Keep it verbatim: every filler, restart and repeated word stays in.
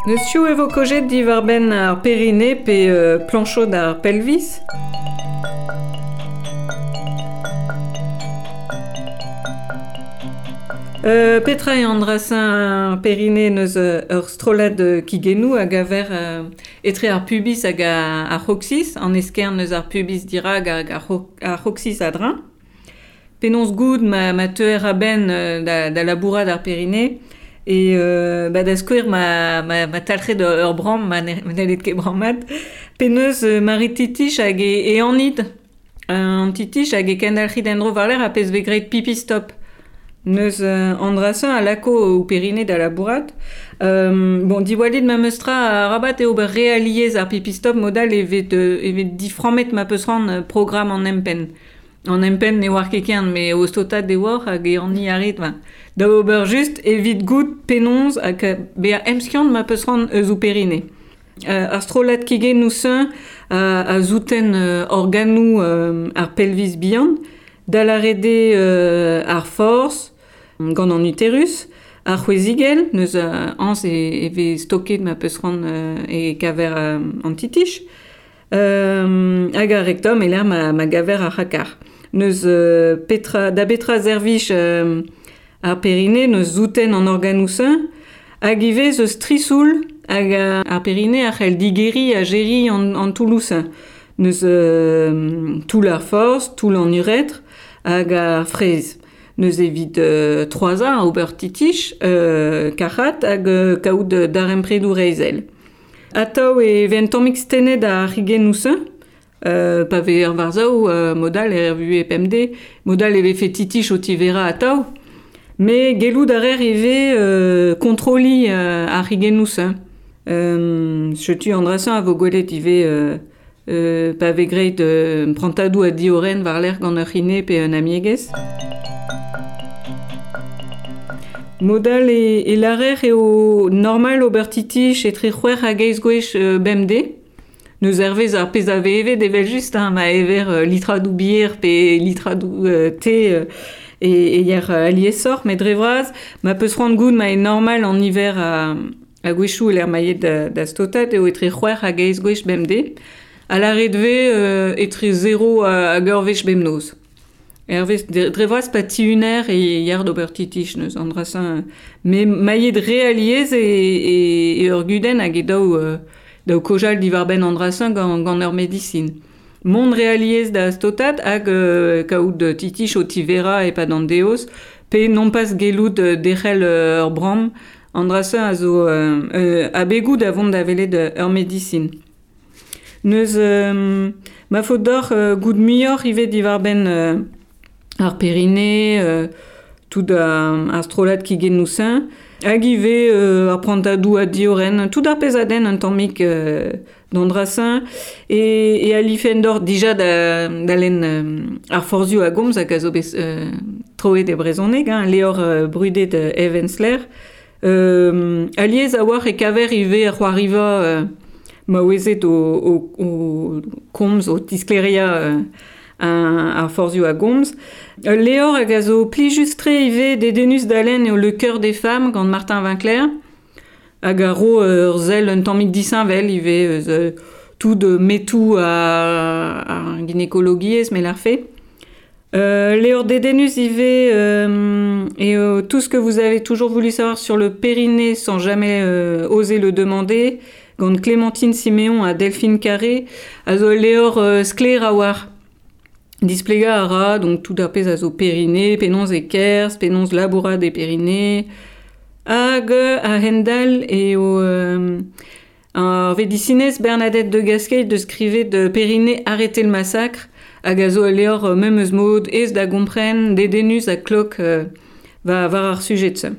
Neus piv e vo kojet diwar-benn ar perine pe euh, planchod ar pelvis. Euh, Petra e an perine neus ur strollad kigennoù hag aver euh, etre ar pubis hag ar c'hoc'hsis, an eskern neus ar pubis dirag hag ar c'hoc'hsis a-dreñv. Penaos goud ma, ma teuer a-benn da, da labourat ar perine e euh, ba da skouer ma, ma, ma talc'het ur bramm, ma n'hellet ket brammat. Penaos euh, mari titich hag e, e anid, an titich hag e kendalc'hit en-dro war-lerc'h a pezh vez graet pipi stop. Neus euh, an dra-se a lako o perine da labourat. Euh, bon, diwallit ma meus tra a rabat eo ober re aliez ar pipi stop modal evet, euh, evet diframmet ma peus ran programm an empenn. An empenn ne oar ket ken, me o stotat de oar hag e an arit. Ben, da ober just evit gout penaos hag bezañ emskiant ma peus ran eus o perine. Euh, ar strollad kigennoù señ a, a zouten euh, organoù euh, ar pelvis bihan, da lâret eo euh, ar forz, gant an uterus, ar c'hwezigell, neus euh, añs e, e vez stoket ma peus ran euh, e kaver euh, an titich, euh, hag ar rectum e lec'h ma, ma gaver ar c'hakar. Neus euh, petra, da betra servij euh, ar perine, neus zouten an organoù señ, hag ivez eus trisoul hag ar perine a c'hell digeriñ ha geriñ an, an toulloù señ. Neus euh, toull ar forz, toull an uretr hag ar fraezh. Neus evit euh, troazañ ober titich, euh, kac'hat hag euh, kaout darempredoù reizhel. Atav e vez un tammig stennet ar c'higennoù señ, euh, pa vez ur war-sav, euh, modal er vuhez pemdez, modal e vefe titich o tiverañ atav, met gellout a reer ivez euh, kontroliñ euh, ar c'higennoù señ. Euh, setu an dra-se a vo gwelet ivez euh, euh, pa vez graet euh, prantadoù a diorren war-lerc'h gant ur c'hine pe un amiegez. Modal e, e lârer eo normal ober titich etre c'hwec'h hag eizh gwech euh, bemdez. Neus hervez ar pezh a vez evet evel-just, hein, ma ever euh, litradoù bier pe litradoù euh, te euh, e, e yer euh, aliesoc'h, met dre vras, ma peus c'hoant goût ma eo normal an niver a, a gwechoù e lec'h ma yet da, da stotat eo etre c'hwec'h hag eizh gwech bemdez. A lâret vez euh, etre zero hag ur wech bemnoz. Hervez, dre vras pa tihuner e yer d'ober titich neus an dra-se. Me mailhet re aliez e, e, e ur gudenn hag e daou, euh, daou kojal diwar-benn an dra-se gant, gant ur medisin. Mont re aliez da stotat hag euh, kaout titich o tiverañ e-pad an deoz, pe non pas gellout derc'hel ur bramm an dra-se a zo euh, euh, abegoù da vont da welet ur medisin. Neus euh, ma faot deoc'h euh, goût muioc'h ivez diwar-benn euh, ar perine, euh, tout ar, ar strollad kigennoù señ, hag ivez euh, ar prantadoù a diorren, tout ar pezh a denn un tammig euh, d'an dra-señ, e, e alifen deoc'h dija da, da lenn euh, ar forzhioù a gomz hag a zo bet euh, troet e brezhoneg, hein, levr euh, brudet euh, Eve Ensler. Euh, alies a-walc'h e kaver ivez ar c'hoariva euh, maouezed o, o, o komz, o tisklêriañ euh, ar forzhioù a gomz. Ul levr hag a zo plijus-tre ivez dedennus da lenn eo Le cœur des femmes gant Martin Winckler, hag a ro ur sell un tammig disheñvel ivez eus euh, tout metoù ar, ar ginekologiezh me lârfe. Euh, levr dedennus ivez euh, eo tout ce que vous avez toujours voulu savoir sur le périnée sans jamais euh, oser le demander gant Clémentine Siméon ha Delphine Carré a zo levr euh, sklaer a-walc'h. Displegañ a ra, donc tout ar pezh a zo périnée, penaos e kerzh, penaos labourat e périnée, hag a-hend-all eo euh, ar vedisinez Bernadette de Gasquet deus skrivet de Périnée arrêter le massacre, hag a zo ul levr memes mod aes da gompren, dedennus ha klok euh, war, war ar sujed-se.